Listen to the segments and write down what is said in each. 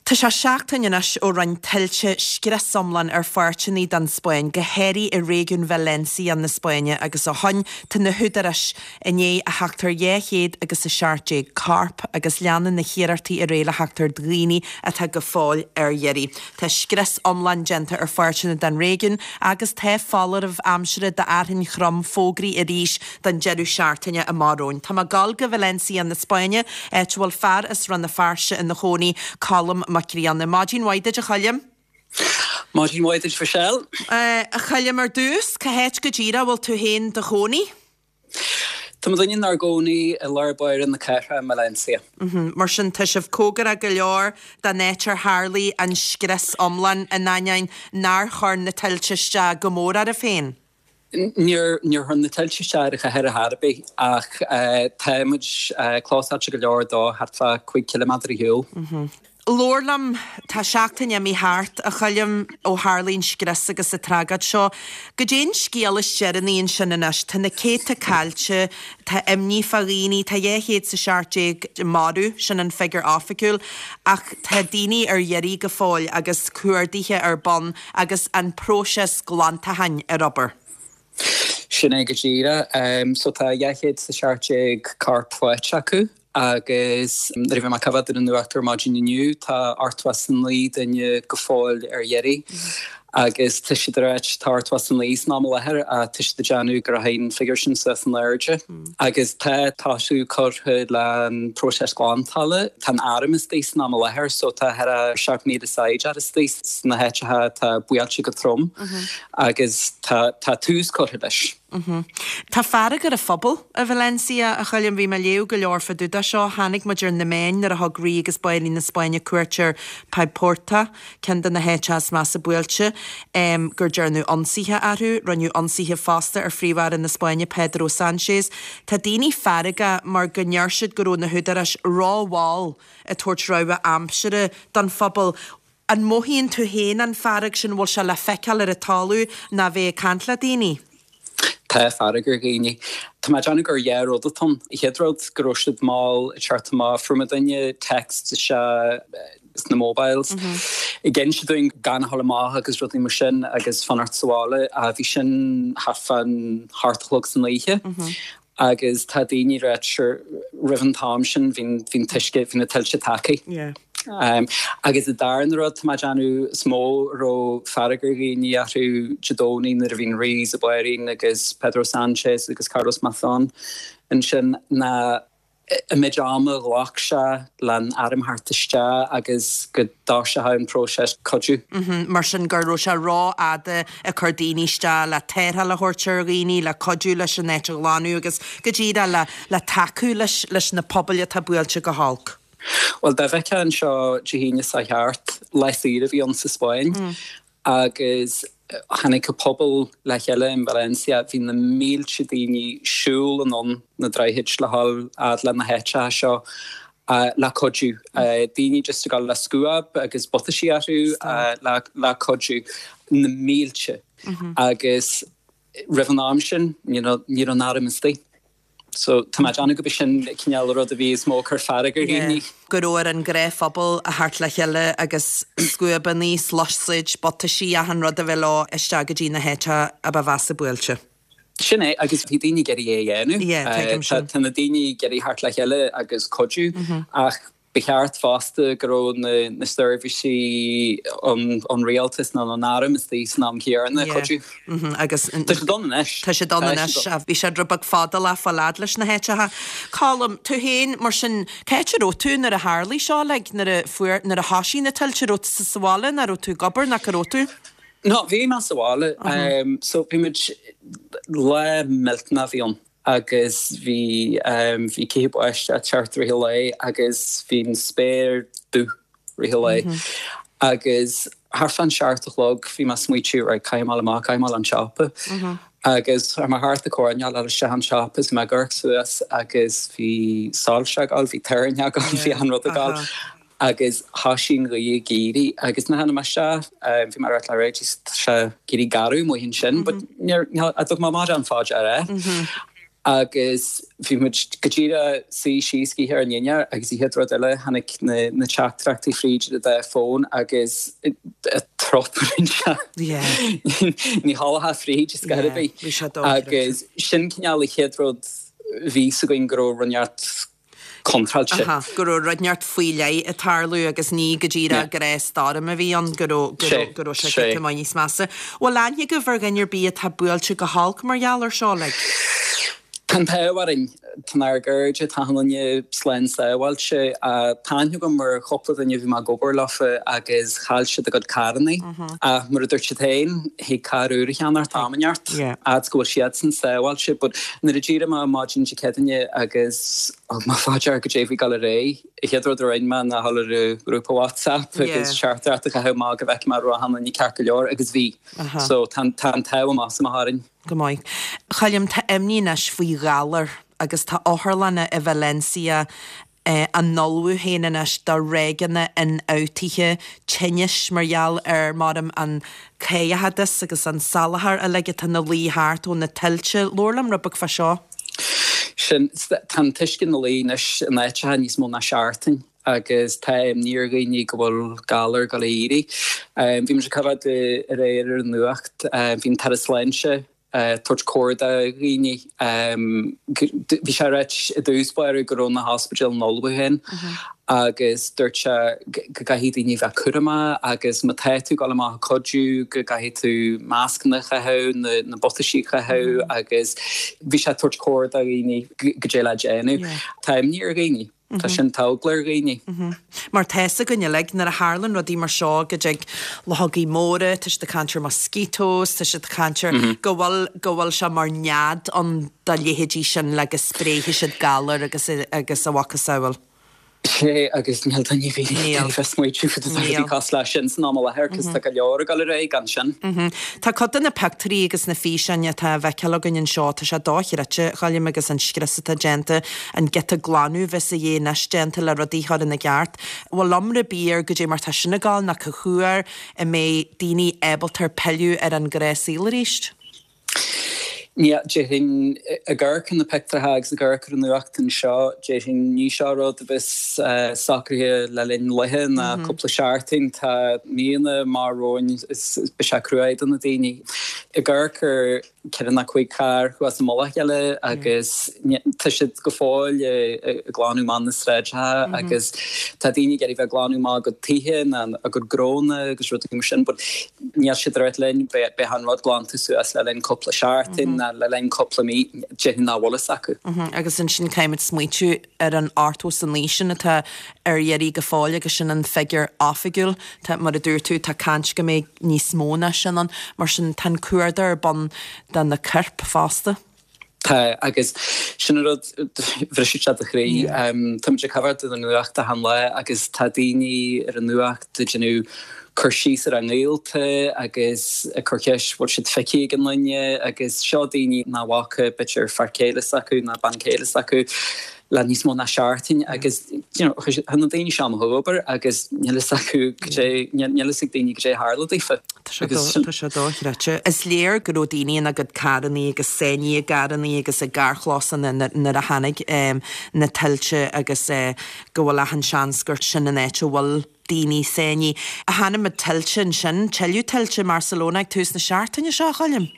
Tá sé seachtain anois ó rinne tuilte scrios iomlán ar pháirteanna den Spáinn, go háirithe i réigiún Valencia na Spáinne agus ó shoin tá na húdaráis i ndiaidh a theacht ar 217 corp agus leanann na hiarrachtaí ar aghaidh le theacht ar dhaoine atá go fóill ar iarraidh. Tá scrios iomlán déanta ar pháirteanna den réigiún agus tá foláireamh aimsire d'fhearthainn throm fógraithe arís don deireadh seachtaine amach romhainn. Tá mé ag gabháil go Valencia na Spáinne, áit a bhfuil fear as Rann na Feirste ina chónaí, Colm Mac Grianna. Maidin mhaith duit, a Choilm. Maidin mhaith duit, Michelle. A Choilm, ar dtús, cá háit go díreach a bhfuil tú féin do chónaí? Tá muidinne inár gcónaí i lár báire na cathrach i mValencia. Mar sin, tá sibh cóngarach go leor don áit ar tharlaigh an scrios iomlán, in ainneoin nár chuir na tuilte isteach go mór oraibh féin. Níor chuir na tuilte isteach ar an chathair ar chor ar bith ach tá muid clósáilte go leor dó, thart fá 5 ciliméadar ar shiúl. Labhair liom, tá seachtain imithe thart, a Choilm, ó tharlaigh an scrios agus an tragóid seo. Goidé an scéal is deireanaí ansin anois? Tá na céadta caillte, tá imní fá dhaoine, tá 217 marbh, sin an figiúr oifigiúil, ach tá daoine ar iarraidh go fóill agus cuardaithe ar bun agus an próiseas glantacháin ar obair. Sin é go díreach. So tá 217 corp faighte acu agus nuair a bhí mé ag coimhéad ar an nuacht ar maidin inniu tá 89 duine go fóill ar iarraidh agus tá siad ag ráit tá 89 san am i láthair ach tá siad ag déanamh go rachaidh an figiúr sin suas in airde. Agus tá tosú curtha le an próiseas glantála. Tá an arm istigh san am i láthair so tá thar a 7,000 saighdiúir istigh sna háiteacha atá buailte go trom agus tá tá tús curtha leis. Tá fearg ar an phobal i Valencia, a Choilm. Bhí mé ag léamh go leor fá dtaobh de seo. Tháinig muid ar na meáin nuair a thug Rí agus Banríon na Spáinne cuairt ar Paiporta. ceann de na háiteacha is measa buailte, gur dearnadh ionsaithe orthu. Rinneadh ionsaithe fosta ar Phríomh-Aire na Spáinne, Pedro Sánchez. Tá daoine feargach mar go ndeir siad go raibh na húdaráis rómhall ag tabhairt rabhadh aimsire don phobal. An mothaíonn tú féin an fearg sin? Bhfuil sé le feiceáil ar an talamh ná bheith ag caint le daoine? Tá fearg ar dhaoine. Tá mé ag déanamh gur dhá rud atá ann. An chéad rud, go raibh siad mall ag teacht amach. Fuair muidinne text isteach sna mobiles ag inse dúinn gan a dhul amach agus rudaí mar sin agus fanacht sa bhaile. Bhí sin thart fán hocht a chlog san oíche agus tá daoine ag ráit sure roimh an t-am sin bhí an t-uisce, bhí na tuilte tagtha. Agus an darna rud tá mé ag déanamh is mó a raibh fearg ar dhaoine orthu Dé Domhnaigh nuair a bhí an Rí is an Bhanríon agus Pedro Sánchez agus Carlos Mazón ansin ná an méid ama a ghlac sé le an arm theacht isteach agus go dtoiseodh an próiseas cuidiú. Mar sin go raibh sé rófhada ag cur daoine isteach le tarrtháil a thabhairt ar dhaoine, le cuidiú leis an áit a ghlanadh agus go díreach le le tacú leis leis na pobail atá buailte go holc. Bhuel, dá bhfeicfeá anseo Dé hAoine seo thart, lá saoire a bhí ann sa Spáinn agus tháinig an pobal le chéile in Valencia, bhí na mílte daoine siúl anonn na droichid le dhul fhad le na háiteacha seo le cuidiú. Daoine just ag dul le scuab agus butaisí orthu le cuidiú. Na mílte. Agus roimh an am sin ní raibh an arm istigh. So tá mé ag déanamh gurb é sin cineál rud a bhí is mó ag cur fearg ar dhaoine. Go raibh ar an ngnáthphobal a theacht le chéile agus scuabannaí, sluasaid, butaisí, achan rud a bheith leo isteach go dtí na háiteacha a ba mheasa buailte. Sin é, agus bhí daoine ag iarraidh é a dhéanamh. Yeah, tuigim sin. Tá na daoine ag iarraidh theacht le chéile agus cuidiú ach Ba cheart fosta go raibh na seirbhísí ón rialtas nó an arm istigh san am chéanna ag cuidiú. Agus tá siad ann anois. Tá siad ann anois. Bhí siad rud beag fadálach fáil fhad leis na háiteacha. Colm, tú féin, mar sin, cá háit a raibh tú nuair a tharlaigh seo, like, nuair a fuair, nuair a thoisigh na tuilte, raibh tú sa bhaile nó raibh tú ag obair nó cá raibh tú? No, bhí mé sa bhaile. So bhí muid, lá millteanach a bhí ann. agus bhí bhí cíocha báistí ag teacht i rith an lae agus bhí an spéir dubh i rith an lae agus thart fán seacht a chlog bhí mé ag smaoitiú right caithfidh mé dul amach caithfidh mé dul an siopa agus chuaigh mé thart an coirnéal le isteach an siopa is bhí mé ag amharc suas agus bhí soilse ag gabháil bhí torann ag gabháil bhí achan rud ag gabháil agus thoisigh an ghaoth ag éirí agus nuair a tháinig mé isteach bhí mé ag rá le Reggie tá sé ag éirí garbh amuigh ansin but níor, níor, thug mé mórán fá dear é. Agus bhí muid go díreach suí síos ag ithe ár ndinnéar agus an chéad rud eile tháinig na teachtaireachtaí fríd an dá fón agus trup a rinne sé. Ní tholgfá fríd ar scor ar bith. Agus sin cineál an chéad rud bhí 'fhios againn go raibh rud inteacht contráilte. Aha, go raibh rud inteacht faoi leith ag tarlú agus ní go díreach gnáth stoirm a bhí ann, go raibh, go raibh, go raibh sé giota maith níos measa. Bhfuil aithne agaibh ar dhuine ar bith atá buailte go holc mar gheall ar seo, like? Tá an t-ádh orainn, tá ár gcairde, tá achan duine slán sábháilte. Tá aithne agam ar chúpla duine a bhí mé ag obair leofa agus chaill siad a gcuid carrannaí. Ach mar a dúirt siad féin, thig carr úr a cheannacht am inteacht, fhad 's go bhfuil siadsan sábháilte. But nuair a d'éirigh mé maidin Dé Céadaoine agus thug mé fá dear goidé a bhí ag dul ar aghaidh, an chéad rud a rinne mé ná dhul ar an ghrúpa WhatsApp agus teachtaireacht a chaitheamh amach go bhfeicfeadh mé raibh achan duine ceart go leor agus bhí. So tá an t-ádh amach is amach orainn. Go maith. A Choilm, tá imní anois faoi ghalar agus tá otharlanna i Valencia á n-ullmhú féin anois do ráigeanna ionfhabhtaithe tinnis mar gheall ar, maram, an caoitheadas agus an salachar uilig atá ina luí thart ó na tuilte. Labhair liom rud beag fá seo. Sin, tá an t-uisce ina luí anois in áiteacha níos mó ná seachtain agus tá imní ar dhaoine go bhfuil galar ag dul a éirí. Bhí muid ag coimhéad aréir ar an nuacht, bhí an tAire Sláinte tabhairt comhairle do dhaoine. Bhí sé ag ráit i dtús báire go raibh na hospidéil in ullmhú féin agus dúirt sé go gcaithfidh daoine bheith cúramach agus má tá tú ag dul amach ag cuidiú go gcaithfidh tú mascanna a chaitheamh, na buataisí a chaitheamh agus bhí sé ag tabhairt comhairle do dhaoine goidé le déanamh. Tá imní ar dhaoine. Tá sin, tá eagla ar dhaoine. Mar tá 'fhios againn uilig, nuair a tharlann rudaí mar seo, go dtig luchógaí móra, tá siad ag caint ar mosquitoes, tá siad ag caint ar go bhfuil, go bhfuil sé mar nead ann do leithéidí sin le go spréifidh siad galar agus, agus a mhacasamhail. Sé, agus níl duine ar bith ag smaoitiú faoi rudaí cosúil leis sin san am i láthair, cos tá go leor ag dul ar aghaidh gan sin. Tá cuid de na pictiúirí agus na físeáin atá á bhfeiceáil againn anseo, tá sé dochreidte, a Choilm, agus an scrios atá déanta, an giota glanadh a bheas a dhíth anois déanta le rudaí a chur ina gceart. Bhfuil iomrá ar bith ar goidé mar tá sin ag gabháil nó cá huair a mbeidh daoine ábalta pilleadh ar an ngnáthshaol arís? Níl, déarfainn, ag amharc ar na pictiúrtha agus ag amharc ar an nuacht anseo, déarfainn, ní seo rud a bheas socraithe le linn laetha ná cúpla seachtain. Tá míonna amach romhainn is beidh sé cruaidh do na daoine. Ag amharc ar 4 nó 5 carr thuas i mullach a chéile agus tá siad go fóill ag glanadh amach na sráideacha agus tá daoine ag iarraidh bheith ag glanadh amach a gcuid tithe ná a gcuid gnónna agus rudaí mar sin but Níl siad ag ráit linn, beidh an rud glanta suas le linn cúpla seachtain ná le linn cúpla mí, déarfainn nach bhfuil fhios acu. Agus ansin caithfimid smaoitiú ar an 89 sin atá ar iarraidh go fóill agus sin an figiúr oifigiúil. Tá, mar a dúirt tú, tá caint go mbeidh níos mó ná sin ann. Mar sin tá an cuardach ar bun do na coirp fosta. Tá, agus sin an rud, bhrisfeadh sé do chroí. Táimid ag coimhéad an nuacht achan lá agus tá daoine ar an nuacht ag déanamh cur síos ar a ngaolta agus ag cur ceist bhfuil siad feicthe ag aon duine agus seo daoine nach bhfaca b'fhéidir fear céile s'acu ná bean chéile s'acu le níos mó ná seachtain agus you know tá na daoine seo amuigh ag obair agus níl fhios acu goidé níl fhios ag daoine goidé a tharla daofa. Tá sé tá sé dochreidte. Is léir go raibh daoine ina gcuid carrannaí agus sáinnithe i gcarrannaí agus i gcarrchlósanna nuair a tháinig na tuilte agus go bhfuil achan seans gur sin an áit a bhfuil daoine sáinnithe. Chonaic muid tuilte ansin, tuilleadh tuilte i mBarcelona ag tús na seachtaine seo, a Choilm.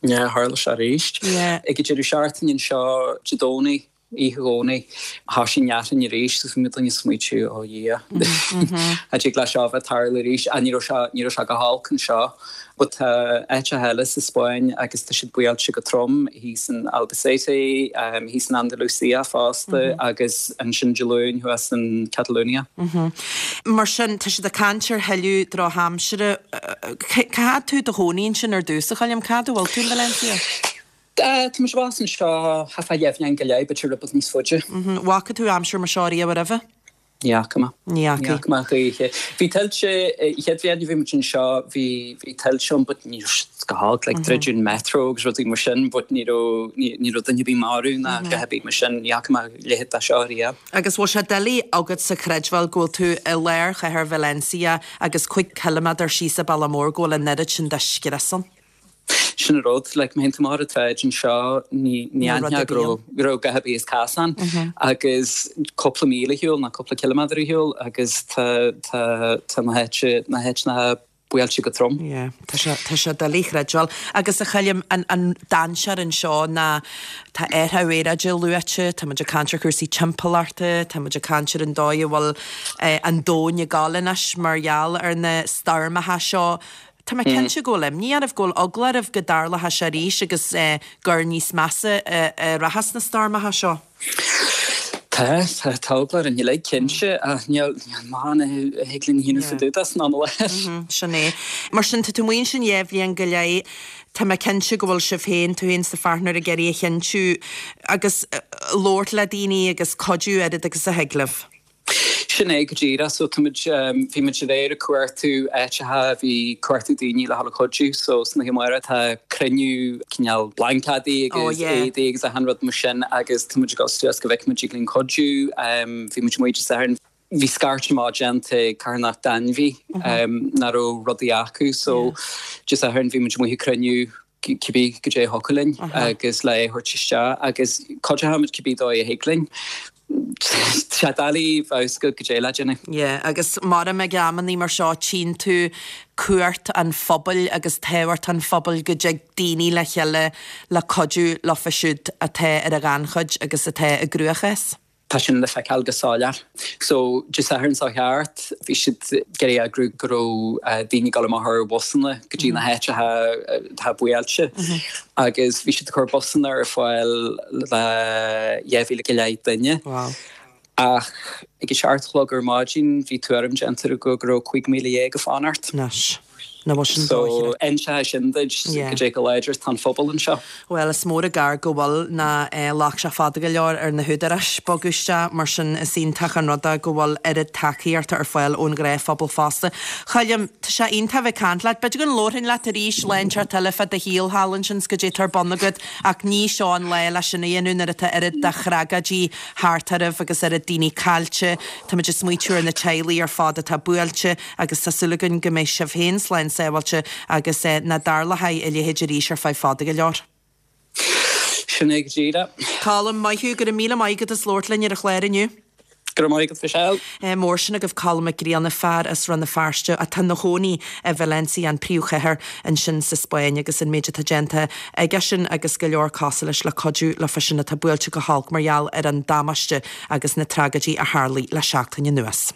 Yeah, tharla sé arís. Ag an deireadh seachtaine anseo Dé Domhnaigh, oíche Dhomhnaigh, thoisigh an fhearthainn arís agus bhí muid ag smaoitiú, ó Dhia, cha dtig le seo a bheith ag tarlú arís. Ach ní raibh sé, ní raibh sé go holc anseo. But tá áiteacha eile sa Spáinn agus tá siad buailte go trom, thíos in Albacete, thíos in Andalusia fosta agus ansin Dé Luain thuas in Catalonia. Mar sin, tá siad ag caint ar thuilleadh drochaimsire. Cá fhad tú i do chónaí ansin ar dtús, a Choilm? Cá fhad a bhfuil tú in Valencia? Tá mise abhus anseo thart fá dheich mbliain go leith, b'fhéidir rud beag níos faide. Bhfaca tú aimsir mar seo riamh roimhe? Ní fhaca mé. Ní fhaca. Ní fhaca mé choíche. Bhí tuilte, an chéad bhliain a bhí muid anseo, bhí, bhí tuilte ann but ní raibh siad go holc, like druideadh an metro agus rudaí mar sin but ní raibh, ní, ní raibh duine ar bith marbh ná a dhath ar bith mar sin, ní fhaca mé a leithéid de seo riamh. Agus bhfuil sé doiligh agatsa creidbheáil go bhfuil tú i lár chathair Valencia agus 5 ciliméadar síos an bealach mór go bhfuil an oiread sin de scrios ann? Sin an rud, like, má théann tú amach ar an tsráid anseo, ní ní aithneofá go raibh go raibh a dhath ar bith as casán agus cúpla míle ar shiúl nó cúpla ciliméadar ar shiúl agus tá tá tá na háite na háiteanna buailte go trom. Yeah, tá sé tá sé doiligh a chreidbheáil. Agus a Choilm, an an dainséar anseo ná tá athrú aeráide luaite, tá muid ag caint ar chúrsaí timpeallachta, tá muid ag caint ar an dóigh a bhfuil an domhan ag gabháil anois mar gheall ar na stoirmeacha seo. Tá mé cinnte go bhfuil imní oraibh, go bhfuil eagla oraibh go dtarlódh sé arís agus gur níos measa a rachas na stoirmeacha seo. Tá, tá, tá eagla orainn uilig, cinnte, ach níl, níl mórán a thig linn a dhéanamh fá dtaobh de san am i láthair. Sin é. Mar sin, tá tú amuigh ansin dhá bhliain go leith, tá mé cinnte go bhfuil sibh féin, tú féin is do pháirtnéir ag iarraidh a chinntiú agus labhairt le daoine agus cuidiú oiread agus a thig libh. Sin é go díreach. So tá muid, bhí muid aréir ag cuartú áiteacha, bhí cuartú daoine le dhul ag cuidiú. So san oíche amárach tá cruinniú cineál blaincéadaí agus éadaí agus achan rud mar sin agus tá muid ag dul suas go bhfeicfidh muid dtig linn cuidiú. Bhí muid amuigh Dé Sathairn, bhí scairt amach déanta ag carthanacht d'ainmhí nach raibh rudaí acu. So Dé Sathairn bhí muid amuigh ag cruinniú cibé goidé a thiocfadh linn agus le é a thabhairt isteach agus cuideochaimid cibé dóigh a thig linn. Tá sé doiligh bheith agat goidé le déanamh. Yeah, agus mar ag amannaí mar seo tchíonn tú cumhacht an phobail agus tábhacht an phobail go dtig daoine le chéile le cuidiú leofa siúd atá ar an ghannchuid agus atá i gcruachás. Tá sin le feiceáil go soiléir. So, Dé Sathairn seo thart, bhí siad ag iarraidh eagrú go raibh daoine ag dul amach ar bhusanna go dtí na háiteacha atá buailte agus bhí siad ag cur busanna ar fáil le 2,000 go leith duine. Ach ag a seacht a chlog ar maidin bhí tuairim déanta acu go raibh 15,000 ag fanacht. Anois. Nach bhfuil sin dóchreidte. So, inseoidh sin duit goidé chomh láidir is atá an phobal anseo. Bhuel, is mór an gar go bhfuil ná ghlac sé fada go leor ar na húdaráis bogadh isteach, mar sin is iontach an rud é go bhfuil oiread tacaíochta ar fáil ón ghnáthphobal fosta. Choilm, tá sé iontach a bheith ag caint leat. B'fhéidir go labharfainn leat arís lá inteacht eile fá do shaol thall ansin 's goidé atá ar bun agat ach ní seo an lá le sin a dhéanamh nuair atá oiread de thragóidí thart oraibh agus oiread daoine caillte. Táimid ag smaoitiú ar na teaghlaigh ar fad atá buailte. Agus tá súil againn go mbeidh sibh féin slán sábháilte agus nach dtarlóidh a leithéid arís ar feadh fada go leor. Sin é go díreach. Colm, maith thú, go raibh míle maith agat as labhairt linn ar an chlár inniu. Go raibh maith agat, Michelle. Mór sin agaibh Colm Mac Grianna, fear as Rann na Feirste atá ina chónaí i Valencia, an príomhchathair ansin sa Spáinn, agus an méid atá déanta aigesean agus go leor cosúil leis le cuidiú leofa sin atá buailte go holc mar gheall ar an damáiste agus na tragóidí a tharlaigh le seachtain anuas.